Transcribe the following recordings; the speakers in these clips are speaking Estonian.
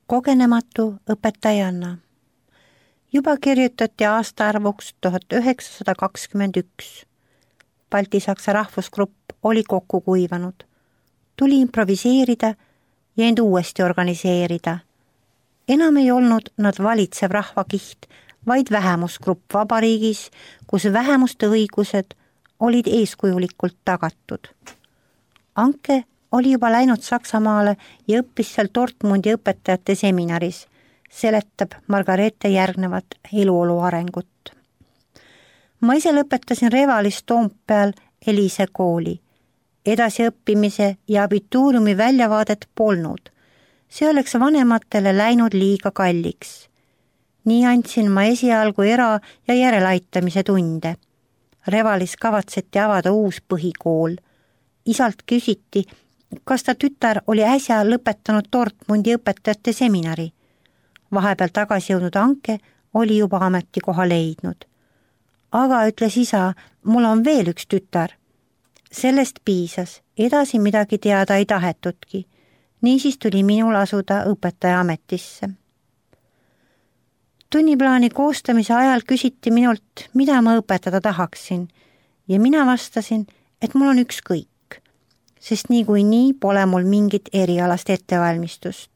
kogenematu õpetajanna. Juba kirjutati aastaarvuks 1921. Balti-Saksa rahvusgrupp oli kokku kuivanud. Tuli improviseerida ja end uuesti organiseerida. Enam ei olnud nad valitsev rahvakiht, vaid vähemusgrupp vabariigis, kus vähemuste õigused olid eeskujulikult tagatud. Anke oli juba läinud Saksamaale ja õppis seal Dortmundi õpetajate seminaris, seletab Margareete järgnevat eluolu arengut. Ma ise lõpetasin Revalis Toompeal Elise kooli. Edasiõppimise ja abituuriumi väljavaadet polnud. See oleks vanematele läinud liiga kalliks. Nii andsin ma esialgu era- ja järelaitamise tunde. Revalis kavatseti avada uus põhikool. Isalt küsiti, kas ta tütar oli äsja lõpetanud Dortmundi õpetajate seminari. Vahepeal tagasi jõudnud Anke oli juba ametikoha leidnud. Aga ütles isa, mul on veel üks tütar. Sellest piisas, edasi midagi teada ei tahetudki. Niisiis tuli minul asuda õpetaja ametisse. Tunniplaani koostamise ajal küsiti minult, mida ma õpetada tahaksin ja mina vastasin, et mul on ükskõik, sest niikuinii pole mul mingit erialast ettevalmistust.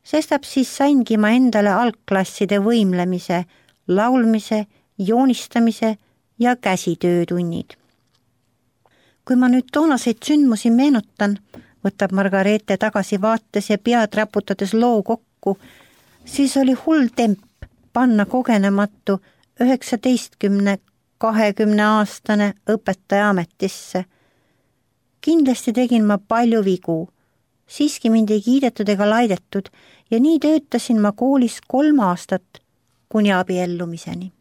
Sestap siis saingi ma endale algklasside võimlemise, laulmise, joonistamise ja käsitöötunnid. Kui ma nüüd toonaseid sündmusi meenutan, võtab Margareete tagasi vaates ja pead raputades loo kokku, siis oli hull temp panna kogenematu 19–20-aastane õpetaja ametisse. Kindlasti tegin ma palju vigu, siiski mind ei kiidetud ega laidetud ja nii töötasin ma koolis 3 aastat kuni abiellumiseni.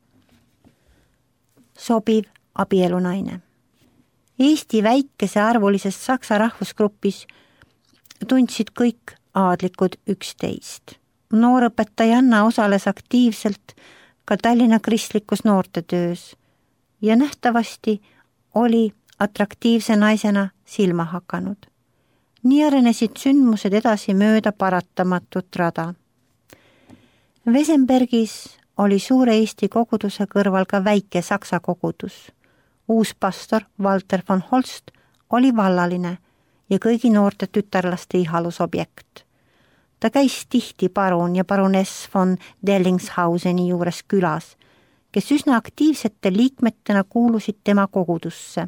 Sobiv abielunaine. Eesti väikese arvulises Saksa rahvusgrupis tundsid kõik aadlikud 11. Noorõpetajanna osales aktiivselt ka Tallinna kristlikus noortetöös ja nähtavasti oli atraktiivse naisena silma hakanud. Nii arenesid sündmused edasi mööda paratamatut rada. Wesenbergis oli suure Eesti koguduse kõrval ka väike Saksa kogudus. Uus pastor Walter von Holst oli vallaline ja kõigi noorte tütarlaste ihalusobjekt. Ta käis tihti parun ja paruness von Dellingshauseni juures külas, kes üsna aktiivsete liikmetena kuulusid tema kogudusse.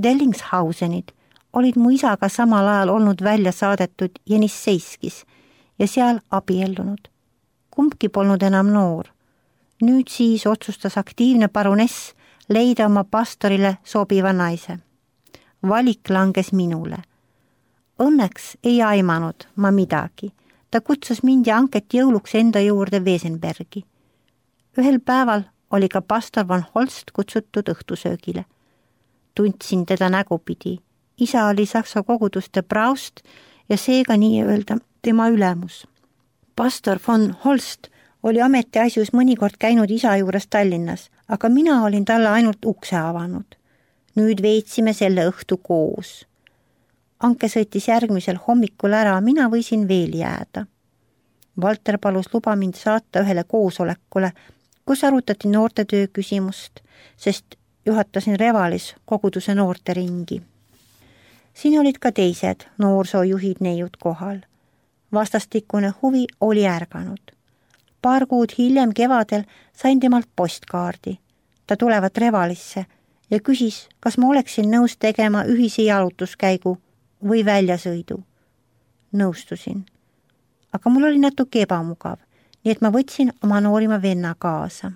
Dellingshausenid olid mu isaga samal ajal olnud välja saadetud Jenisseiskis ja seal abiellunud. Kumbki polnud enam noor. Nüüd siis otsustas aktiivne paruness leida oma pastorile sobiva naise. Valik langes minule. Õnneks ei aimanud ma midagi. Ta kutsus mind ja Anket jõuluks enda juurde Wesenbergi. Ühel päeval oli ka pastor von Holst kutsutud õhtusöögile. Tundsin teda nägupidi. Isa oli Saksa koguduste praust ja seega nii öelda tema ülemus. Pastor von Holst oli ametiasjus mõnikord käinud isa juures Tallinnas, aga mina olin talle ainult ukse avanud. Nüüd veetsime selle õhtu koos. Anke sõitis järgmisel hommikul ära, mina võisin veel jääda. Walter palus luba mind saata ühele koosolekule, kus arutati noortetöö küsimust, sest juhatasin Revalis koguduse noorteringi. Siin olid ka teised noorsoojuhid neiud kohal. Vastastikune huvi oli ärganud. Paar kuud hiljem kevadel sain temalt postkaardi. Ta tulevat Revalisse ja küsis, kas ma oleksin nõus tegema ühise jalutuskäigu või väljasõidu. Nõustusin. Aga mul oli natuke ebamugav, nii et ma võtsin oma noorima venna kaasa.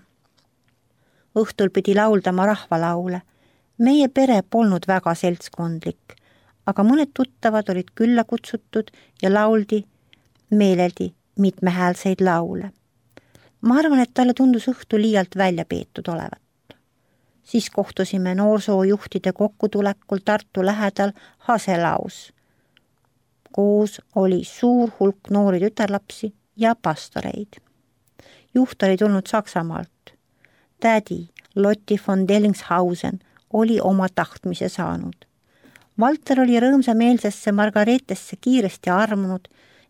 Õhtul pidi lauldama rahvalaule. Meie pere polnud väga seltskondlik, aga mõned tuttavad olid külla kutsutud ja lauldi meeleldi mitmehäälseid laule. Ma arvan, et talle tundus õhtu liialt välja peetud olevat. Siis kohtusime noorsoojuhtide kokkutulekul Tartu lähedal Haselaus. Koos oli suur hulk noori tütarlapsi ja pastoreid. Juht oli tulnud Saksamaalt. Tädi Lotti von Dellingshausen oli oma tahtmise saanud. Walter oli rõõmsameelsesse Margareetesse kiiresti armunud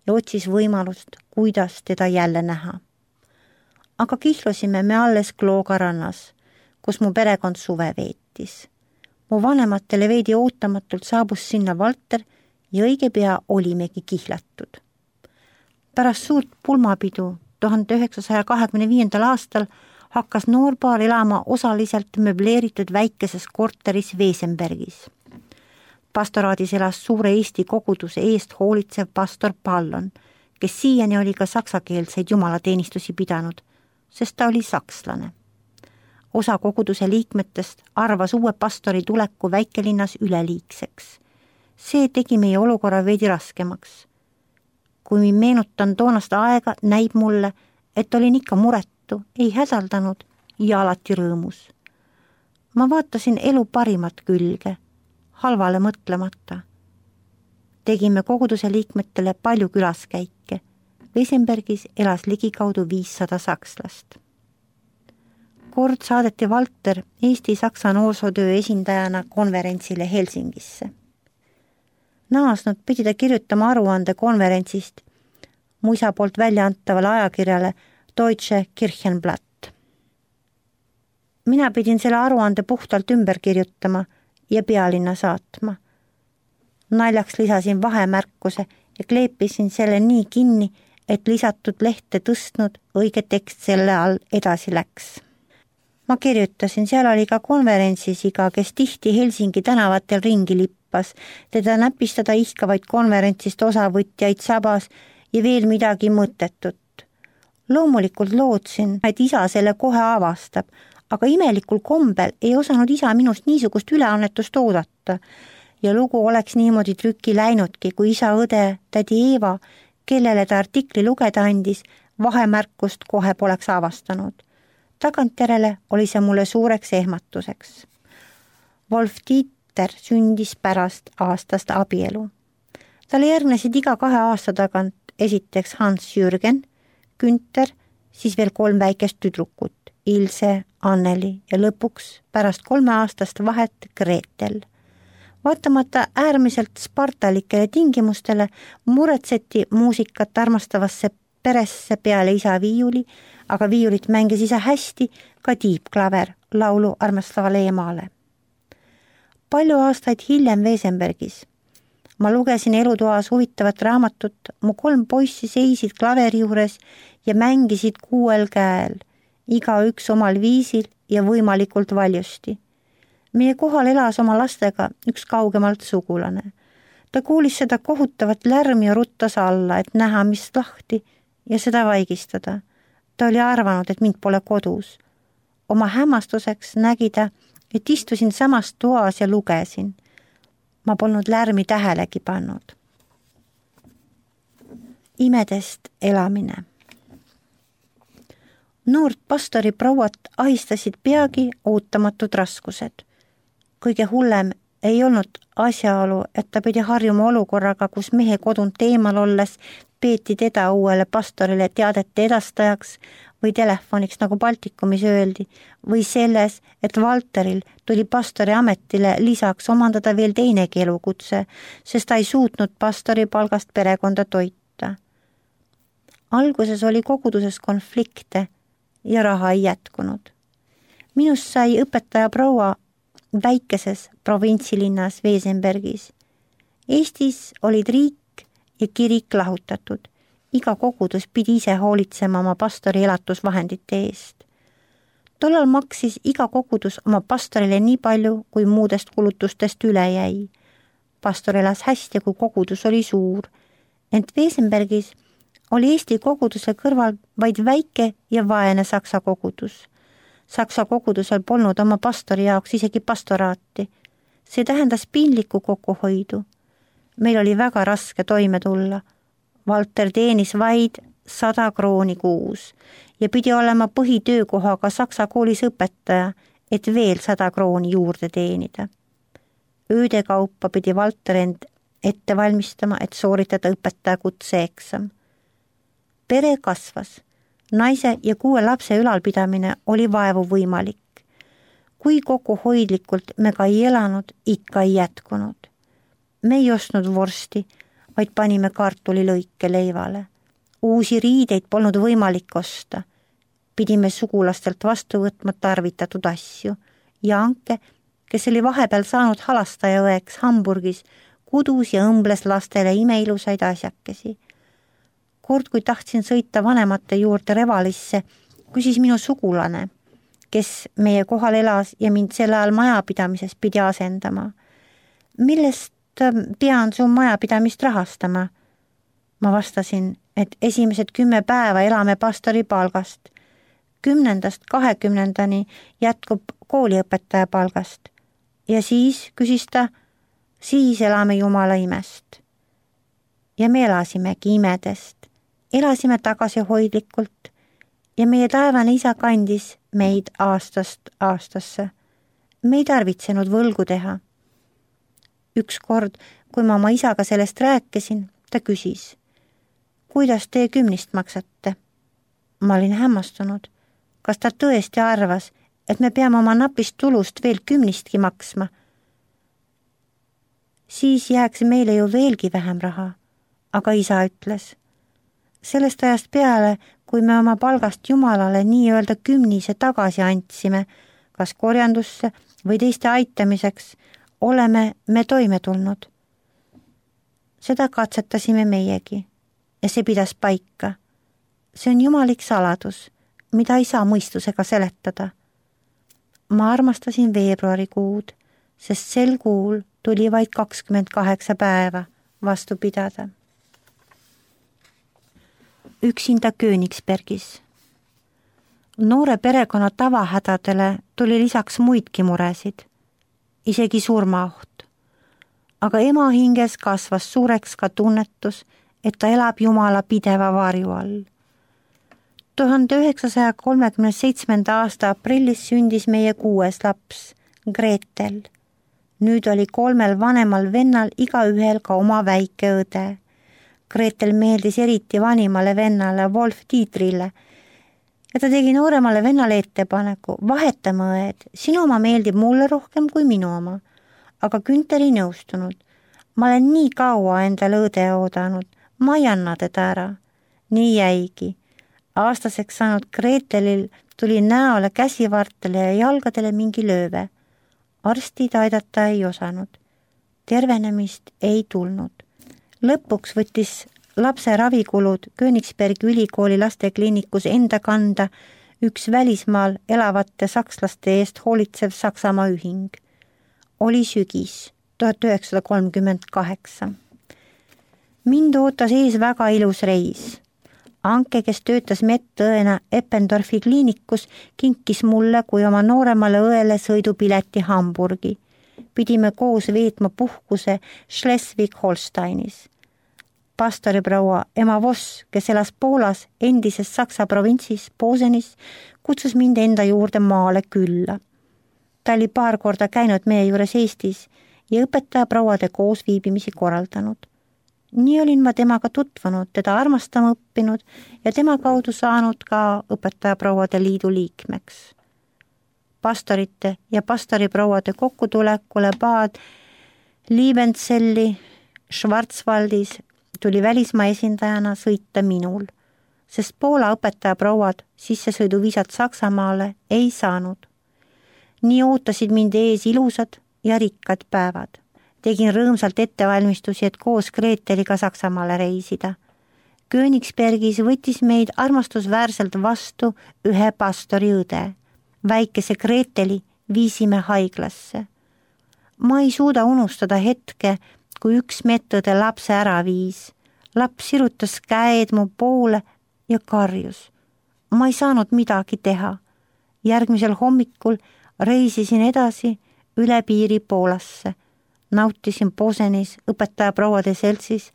ja otsis võimalust, kuidas teda jälle näha. Aga kihlusime me alles Klooga rannas, kus mu perekond suve veetis. Mu vanematele veidi ootamatult saabus sinna Valter ja õige pea olimegi kihlatud. Pärast suurt pulmapidu 1925. aastal hakkas noorpaar elama osaliselt möbleeritud väikeses korteris Wesenbergis. Pastoraadis elas suure Eesti koguduse eest hoolitsev pastor Pallon, kes siiani oli ka saksakeelseid jumalateenistusi pidanud, sest ta oli sakslane. Osa koguduse liikmetest arvas uue pastori tuleku väikelinnas üleliigseks. See tegi meie olukorra veidi raskemaks. Kui meenutan toonast aega, näib mulle, et olin ikka muretu, ei hädaldanud ja alati rõõmus. Ma vaatasin elu parimat külge, halvale mõtlemata. Tegime koguduse liikmetele palju külaskäike. Wesenbergis elas ligikaudu 500 sakslast. Kord saadeti Valter Eesti-Saksa noorsootöö esindajana konverentsile Helsingisse. Naasnud pidi ta kirjutama aruande konverentsist mu isa poolt välja antavale ajakirjale Deutsche Kirchenblatt. Mina pidin selle aruande puhtalt ümber kirjutama ja pealinna saatma. Naljaks lisasin vahemärkuse ja kleepisin selle nii kinni, et lisatud lehte tõstnud õige tekst selle all edasi läks. Ma kirjutasin, seal oli ka konverentsisiga, kes tihti Helsingi tänavatel ringi lippas, teda näpistada ihkavaid konverentsist osavõtjaid sabas ja veel midagi mõttetut. Loomulikult lootsin, et isa selle kohe avastab, aga imelikul kombel ei osanud isa minust niisugust üleannetust oodata ja lugu oleks niimoodi trükki läinudki, kui isa õde, tädi Eeva, kellele ta artikli lugeda andis, vahemärkust kohe poleks avastanud. Tagantjärele oli see mulle suureks ehmatuseks. Wolf Dieter sündis pärast aastast abielu. Talle järgnesid iga 2 aasta tagant esiteks Hans Jürgen, Günther, siis veel 3 väikest tüdrukut, Ilse, Anneli ja lõpuks pärast 3 aastast vahet Gretel. Vaatamata äärmiselt spartalikele tingimustele muretseti muusikat armastavasse peresse peale isa viiuli, aga viiulit mängis isa hästi ka tiibklaver laulu armastavale emale. Palju aastaid hiljem Wesenbergis. Ma lugesin elutoas huvitavat raamatut, mu 3 poissi seisid klaveri juures ja mängisid 6 käel, igaüks omal viisil ja võimalikult valjusti. Meie kohal elas oma lastega üks kaugemalt sugulane. Ta kuulis seda kohutavat lärmi ja ruttas alla, et näha, mis lahti ja seda vaigistada. Ta oli arvanud, et mind pole kodus. Oma hämmastuseks nägi ta, et istusin samas toas ja lugesin. Ma polnud lärmi tähelegi pannud. Imedest elamine. Noort pastori prouat ahistasid peagi ootamatud raskused. Kõige hullem ei olnud asjaolu, et ta pidi harjuma olukorraga, kus mehe kodunt eemal olles peeti teda uuele pastorile teadete edastajaks või telefoniks, nagu Baltikumis öeldi, või selles, et Valteril tuli pastori ametile lisaks omandada veel teinegi elukutse, sest ta ei suutnud pastori palgast perekonda toita. Alguses oli koguduses konflikte ja raha ei jätkunud. Minust sai õpetaja proua väikeses provintsilinnas Wesenbergis. Eestis olid riik ja kirik lahutatud. Iga kogudus pidi ise hoolitsema oma pastori elatusvahendite eest. Tollal maksis iga kogudus oma pastorile nii palju, kui muudest kulutustest üle jäi. Pastor elas hästi, kui kogudus oli suur. Ent Wesenbergis oli Eesti koguduse kõrval vaid väike ja vaene saksa kogudus. Saksa kogudusel polnud oma pastori jaoks isegi pastoraati. See tähendas piinlikku kokkuhoidu. Meil oli väga raske toime tulla. Valter teenis vaid 100 krooni kuus ja pidi olema põhitöökohaga saksa koolis õpetaja, et veel 100 krooni juurde teenida. Ööde kaupa pidi Valter end ette valmistama, et sooritada õpetaja kutseeksam. Pere kasvas. Naise ja 6 lapse ülalpidamine oli vaevu võimalik. Kui kokkuhoidlikult me ka ei elanud, ikka ei jätkunud. Me ei ostnud vorsti, vaid panime kartulilõike leivale. Uusi riideid polnud võimalik osta. Pidime sugulastelt vastu võtma tarvitatud asju ja Anke, kes oli vahepeal saanud halastajaõeks Hamburgis, kudus ja õmbles lastele imeilusaid asjakesi. Kord, kui tahtsin sõita vanemate juurde Revalisse, küsis minu sugulane, kes meie kohal elas ja mind sel ajal majapidamises pidi asendama. Millest pean su majapidamist rahastama? Ma vastasin, et esimesed 10 päeva elame pastori palgast. 10-20 jätkub kooliõpetaja palgast. Ja siis, küsis ta, siis elame Jumala imest. Ja me elasimegi imedest. Elasime tagasihoidlikult ja meie taevane isa kandis meid aastast aastasse. Me ei tarvitsenud võlgu teha. Ükskord, kui ma oma isaga sellest rääkisin, ta küsis, kuidas te 10 maksate? Ma olin hämmastunud. Kas ta tõesti arvas, et me peame oma napist tulust veel 10 maksma? Siis jääks meile ju veelgi vähem raha, aga isa ütles, sellest ajast peale, kui me oma palgast Jumalale nii-öelda 10 tagasi andsime, kas korjandusse või teiste aitamiseks, oleme me toime tulnud. Seda katsetasime meiegi ja see pidas paika. See on jumalik saladus, mida ei saa mõistusega seletada. Ma armastasin veebruarikuud, sest sel kuul tuli vaid 28 päeva vastu pidada. Üksinda Königsbergis. Noore perekonna tavahädadele tuli lisaks muidki muresid, isegi surmaoht. Aga ema hinges kasvas suureks ka tunnetus, et ta elab Jumala pideva varju all. 1937. aasta aprillis sündis meie 6. laps, Gretel. Nüüd oli 3 vanemal vennal igaühel ka oma väike õde. Gretel meeldis eriti vanimale vennale Wolf Dietrille ja ta tegi nooremale vennale ettepaneku, vahetame õed, sinu oma meeldib mulle rohkem kui minu oma. Aga Günther ei nõustunud. Ma olen nii kaua endale õde oodanud, ma ei anna teda ära. Nii jäigi. Aastaseks saanud Gretelil tuli näole, käsivartele ja jalgadele mingi lööve. Arstid aidata ei osanud. Tervenemist ei tulnud. Lõpuks võttis lapse ravikulud Königsbergi ülikooli lastekliinikus enda kanda üks välismaal elavate sakslaste eest hoolitsev Saksamaa ühing. Oli sügis 1938. Mind ootas ees väga ilus reis. Anke, kes töötas medõena Eppendorfi kliinikus, kinkis mulle kui oma nooremale õele sõidupileti Hamburgi. Pidime koos veetma puhkuse Schleswig-Holsteinis. Pastoriproua ema Voss, kes elas Poolas endises Saksa provintsis Posenis, kutsus mind enda juurde maale külla. Ta oli paar korda käinud meie juures Eestis ja õpetajaprouade koosviibimisi korraldanud. Nii olin ma temaga tutvunud, teda armastama õppinud ja tema kaudu saanud ka õpetajaprouade liidu liikmeks. Pastorite ja pastoriprouade kokkutulekule Bad Liebenzelli Schwarzwaldis tuli välismaa esindajana sõita minul, sest Poola õpetajaprouad sissesõiduviisat Saksamaale ei saanud. Nii ootasid mind ees ilusad ja rikkad päevad. Tegin rõõmsalt ettevalmistusi, et koos Greteliga Saksamaale reisida. Königsbergis võttis meid armastusväärselt vastu ühe pastori õde. Väikese Greteli viisime haiglasse. Ma ei suuda unustada hetke, kui üks medõde lapse ära viis. Laps sirutas käed mu poole ja karjus. Ma ei saanud midagi teha. Järgmisel hommikul reisisin edasi üle piiri Poolasse. Nautisin Posenis õpetajaprouade seltsis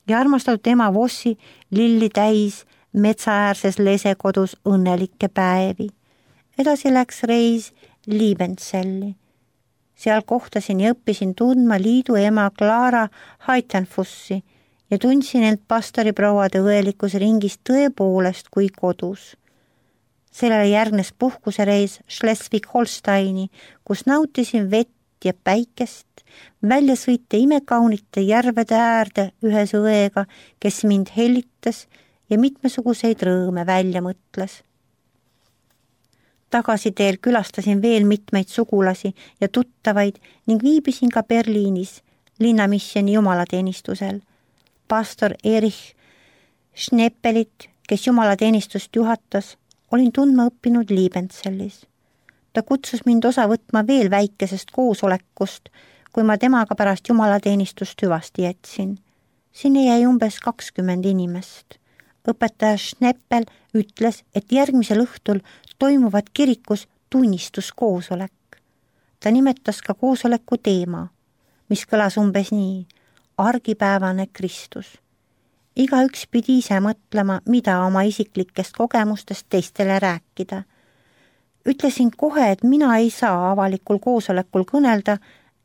ja armastatud ema Vossi lilli täis metsaäärses lesekodus õnnelikke päevi. Edasi läks reis Liebenzelli. Seal kohtasin ja õppisin tundma liidu ema Clara Heitenfussi ja tundsin end pastoriprouade õelikus ringis tõepoolest kui kodus. Sellele järgnes puhkusereis Schleswig-Holsteini, kus nautisin vett ja päikest, välja sõita imekaunite järvede äärde ühes õega, kes mind hellitas ja mitmesuguseid rõõme välja mõtles. Tagasiteel külastasin veel mitmeid sugulasi ja tuttavaid ning viibisin ka Berliinis linnamissioni jumalateenistusel. Pastor Erich Schneppelit, kes jumalateenistust juhatas, olin tundma õppinud Liebentsellis. Ta kutsus mind osa võtma veel väikesest koosolekust, kui ma temaga pärast jumalateenistust hüvasti jätsin. Sinne jäi umbes 20 inimest. Õpetaja Schneppel ütles, et järgmisel õhtul toimuvad kirikus tunnistuskoosolek. Ta nimetas ka koosoleku teema, mis kõlas umbes nii: argipäevane Kristus. Igaüks pidi ise mõtlema, mida oma isiklikest kogemustest teistele rääkida. Ütlesin kohe, et mina ei saa avalikul koosolekul kõnelda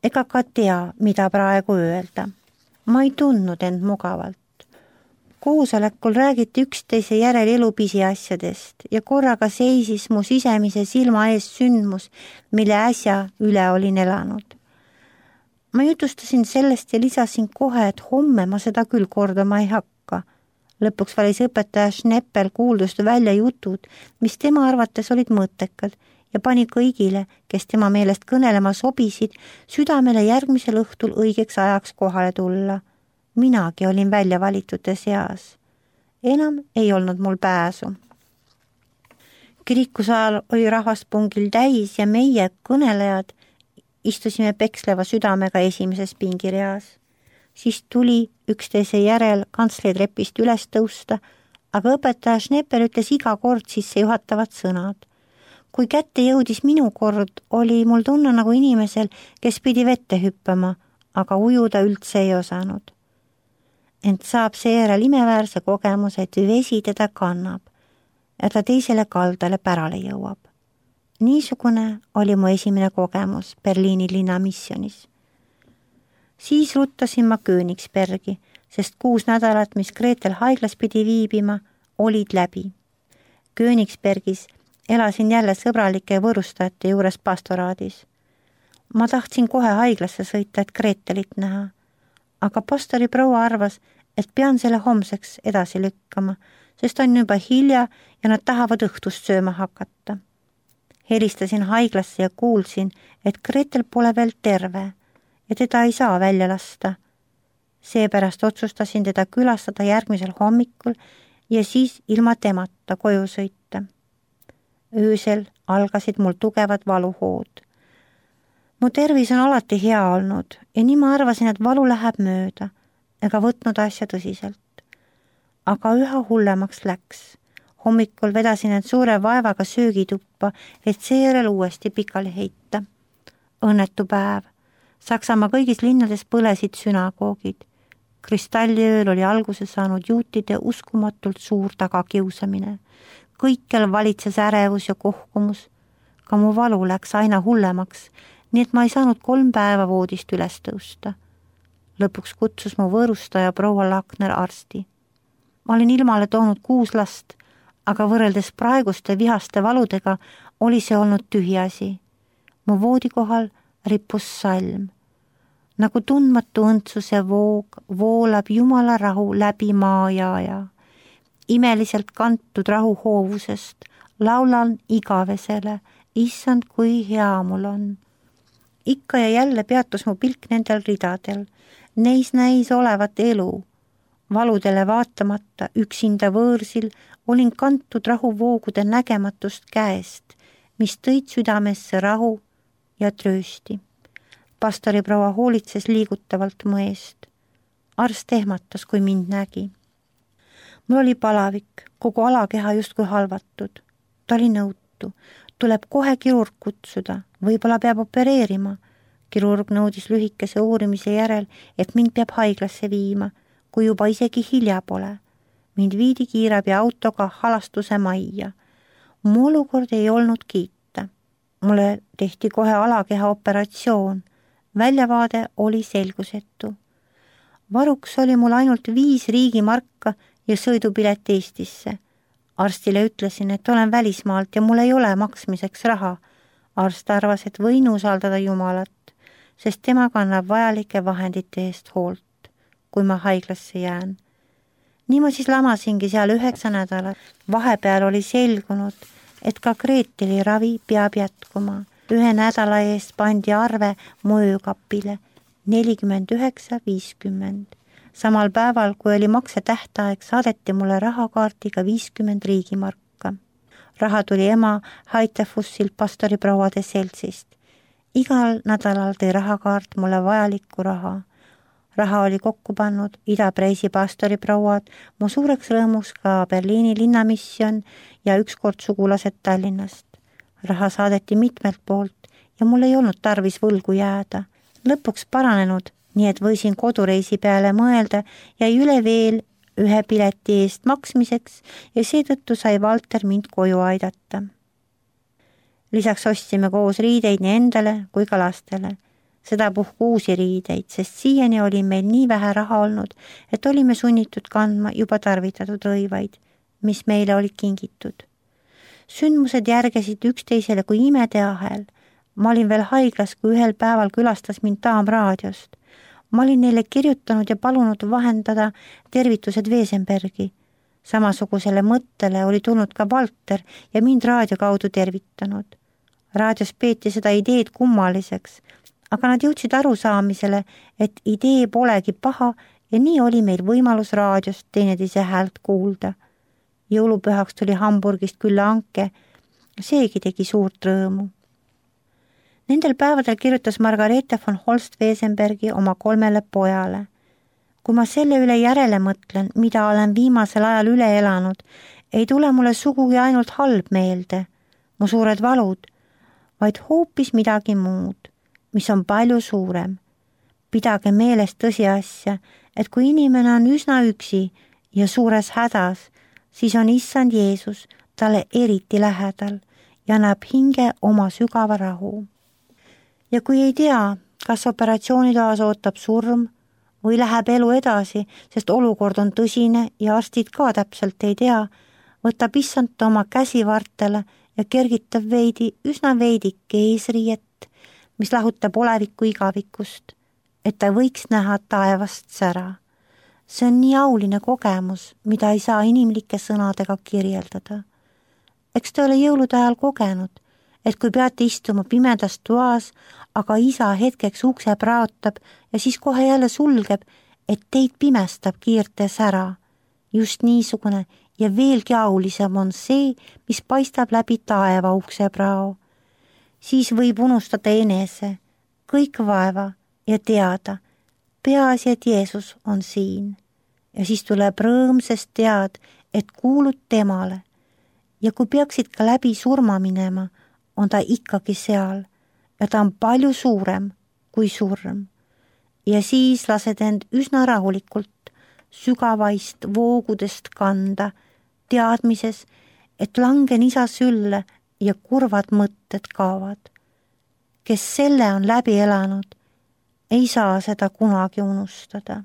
ega ka tea, mida praegu öelda. Ma ei tundnud end mugavalt. Koosolekul räägiti üksteise järel elu pisiasjadest ja korraga seisis mu sisemise silma ees sündmus, mille äsja üle olin elanud. Ma jutustasin sellest ja lisasin kohe, et homme ma seda küll kordama ei hakka. Lõpuks valis õpetaja Schneppel kuuldust välja jutud, mis tema arvates olid mõttekad ja pani kõigile, kes tema meelest kõnelema sobisid, südamele järgmisel õhtul õigeks ajaks kohale tulla. Minagi olin välja valitute seas. Enam ei olnud mul pääsu. Kirikusaal oli rahvaspungil täis ja meie kõnelejad istusime peksleva südamega esimeses pingireas. Siis tuli üksteise järel kantsleitrepist üles tõusta, aga õpetaja Schneppel ütles iga kord sisse juhatavad sõnad. Kui kätte jõudis minu kord, oli mul tunne nagu inimesel, kes pidi vette hüppama, aga ujuda üldse ei osanud. Ent saab seejärel imeväärse kogemuse, et vesi teda kannab ja ta teisele kaldale pärale jõuab. Niisugune oli mu esimene kogemus Berliini linnamissionis. Siis ruttasin ma Königsbergi, sest 6 nädalat, mis Gretel haiglas pidi viibima, olid läbi. Königsbergis elasin jälle sõbralike võõrustajate juures pastoraadis. Ma tahtsin kohe haiglasse sõita, et Gretelit näha, aga pastori proua arvas, et pean selle homseks edasi lükkama, sest on juba hilja ja nad tahavad õhtust sööma hakata. Helistasin haiglasse ja kuulsin, et Gretel pole veel terve ja teda ei saa välja lasta. Seepärast otsustasin teda külastada järgmisel hommikul ja siis ilma temata koju sõita. Öösel algasid mul tugevad valuhood. Mu tervis on alati hea olnud ja nii ma arvasin, et valu läheb mööda ega võtnud asja tõsiselt. Aga üha hullemaks läks. Hommikul vedasin end suure vaevaga söögituppa, et seejärel uuesti pikali heita. Õnnetu päev. Saksamaa kõigis linnades põlesid sünagoogid. Kristalliööl oli alguse saanud juutide uskumatult suur tagakiusamine. Kõikjal valitses ärevus ja kohkumus. Ka mu valu läks aina hullemaks, nii et ma ei saanud 3 päeva voodist üles tõusta. Lõpuks kutsus mu võõrustaja proua Lakner arsti. Ma olin ilmale toonud 6 last, aga võrreldes praeguste vihaste valudega oli see olnud tühiasi. Mu voodikohal rippus salm. Nagu tundmatu õndsuse voog voolab Jumala rahu läbi maa ja. Imeliselt kantud rahu hoovusest laulan igavesele, issand, kui hea mul on. Ikka ja jälle peatus mu pilk nendel ridadel. Neis näis olevat elu. Valudele vaatamata üksinda võõrsil olin kantud rahuvoogude nägematust käest, mis tõid südamesse rahu ja tröösti. Pastori proua hoolitses liigutavalt mu eest. Arst ehmatas, kui mind nägi. Mul oli palavik, kogu alakeha justkui halvatud. Ta oli nõutu. Tuleb kohe kirurg kutsuda, võib-olla peab opereerima. Kirurg nõudis lühikese uurimise järel, et mind peab haiglasse viima, kui juba isegi hilja pole. Mind viidi kiirabi autoga halastuse majja. Mu olukord ei olnud kiita. Mulle tehti kohe alakeha operatsioon. Väljavaade oli selgusetu. Varuks oli mul ainult 5 riigimarka ja sõidupilet Eestisse. Arstile ütlesin, et olen välismaalt ja mul ei ole maksmiseks raha. Arst arvas, et võin usaldada Jumalat. sest tema kannab vajalike vahendite eest hoolt, kui ma haiglasse jään. Nii ma siis lamasingi seal 9 nädalat. Vahepeal oli selgunud, et ka Greeteli ravi peab jätkuma. 1 nädala eest pandi arve mu öökapile 49,50. Samal päeval, kui oli maksetähtaeg, saadeti mulle rahakaardiga 50 riigimarka. Raha tuli ema Haitefussilt pastoriprouade seltsist. Igal nädalal tõi rahakaart mulle vajalikku raha. Raha oli kokku pannud Ida-Preisi pastoriprouad, mu suureks rõõmus ka Berliini linnamisjon ja ükskord sugulased Tallinnast. Raha saadeti mitmelt poolt ja mul ei olnud tarvis võlgu jääda. Lõpuks paranenud, nii et võisin kodureisi peale mõelda, jäi üle veel 1 pileti eest maksmiseks ja seetõttu sai Valter mind koju aidata. Lisaks ostsime koos riideid nii endale kui ka lastele. Sedapuhku uusi riideid, sest siiani oli meil nii vähe raha olnud, et olime sunnitud kandma juba tarvitatud rõivaid, mis meile olid kingitud. Sündmused järgesid üksteisele kui imeteahel. Ma olin veel haiglas, kui ühel päeval külastas mind daam raadiost. Ma olin neile kirjutanud ja palunud vahendada tervitused Wesenbergi. Samasugusele mõttele oli tulnud ka Valter ja mind raadio kaudu tervitanud. Raadios peeti seda ideed kummaliseks, aga nad jõudsid arusaamisele, et idee polegi paha ja nii oli meil võimalus raadiost teineteise häält kuulda. Jõulupühaks tuli Hamburgist külla Anke, seegi tegi suurt rõõmu. Nendel päevadel kirjutas Margareete von Holst Wesenbergi oma 3 pojale. Kui ma selle üle järele mõtlen, mida olen viimasel ajal üle elanud, ei tule mulle sugugi ainult halb meelde, mu suured valud, vaid hoopis midagi muud, mis on palju suurem. Pidage meeles tõsiasja, et kui inimene on üsna üksi ja suures hädas, siis on Issand Jeesus talle eriti lähedal ja annab hinge oma sügava rahu. Ja kui ei tea, kas operatsioonitoas ootab surm või läheb elu edasi, sest olukord on tõsine ja arstid ka täpselt ei tea, võtab Issand oma käsi vartele ja kergitab üsna veidike eesriiet, mis lahutab oleviku igavikust, et ta võiks näha taevast sära. See on nii auline kogemus, mida ei saa inimlike sõnadega kirjeldada. Eks te ole jõulude ajal kogenud, et kui peate istuma pimedas toas, aga isa hetkeks ukse praotab ja siis kohe jälle sulgeb, et teid pimestab kiirte sära. Just niisugune ja veelgi aulisem on see, mis paistab läbi taeva ukse prao. Siis võib unustada enese, kõik vaeva ja teada, peaasi, et Jeesus on siin. Ja siis tuleb rõõm, sest tead, et kuulud temale. Ja kui peaksid ka läbi surma minema, on ta ikkagi seal ja ta on palju suurem kui surm. Ja siis lased end üsna rahulikult sügavaist voogudest kanda, teadmises, et langen isa sülle ja kurvad mõtted kaovad. Kes selle on läbi elanud, ei saa seda kunagi unustada.